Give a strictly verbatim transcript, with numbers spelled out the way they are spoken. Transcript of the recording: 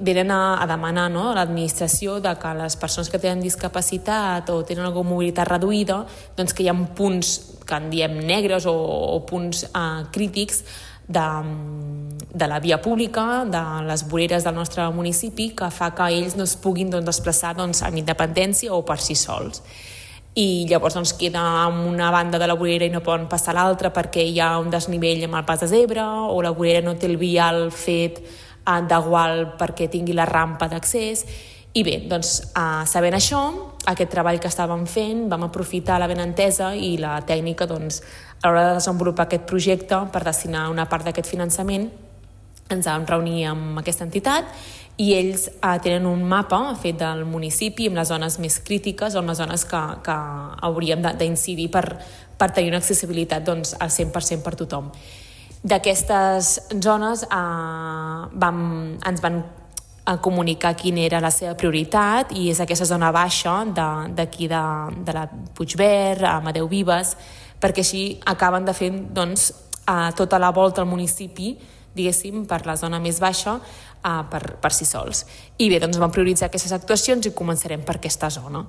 venen a, a demanar, no, a l'administració de que les persones que tenen discapacitat o tenen alguna mobilitat reduïda, doncs que hi ha punts que en diem negres o, o punts eh, crítics de, de la via pública, de les voreres del nostre municipi, que fa que ells no es puguin doncs, desplaçar doncs, amb independència o per si sols. I llavors doncs, queda en una banda de la vorera i no poden passar a l'altra perquè hi ha un desnivell amb el pas de zebra, o la vorera no té el vial fet eh, d'igual perquè tingui la rampa d'accés. I bé, doncs, eh, sabent això, aquest treball que estàvem fent, vam aprofitar la benentesa i la tècnica doncs, a l'hora de desenvolupar aquest projecte per destinar una part d'aquest finançament. Ens vam reunir amb aquesta entitat i ells eh, tenen un mapa fet del municipi amb les zones més crítiques o amb les zones que, que hauríem d'incidir per, per tenir una accessibilitat doncs, al cent per cent per tothom. D'aquestes zones eh, vam, ens van a comunicar quina era la seva prioritat i és aquesta zona baixa d'aquí de, de, de la Puigverd, Amadeu Vives, perquè així acaben de fer doncs, a tota la volta al municipi, diguéssim, per la zona més baixa, uh, per, per si sols. I bé, doncs vam prioritzar aquestes actuacions i començarem per aquesta zona.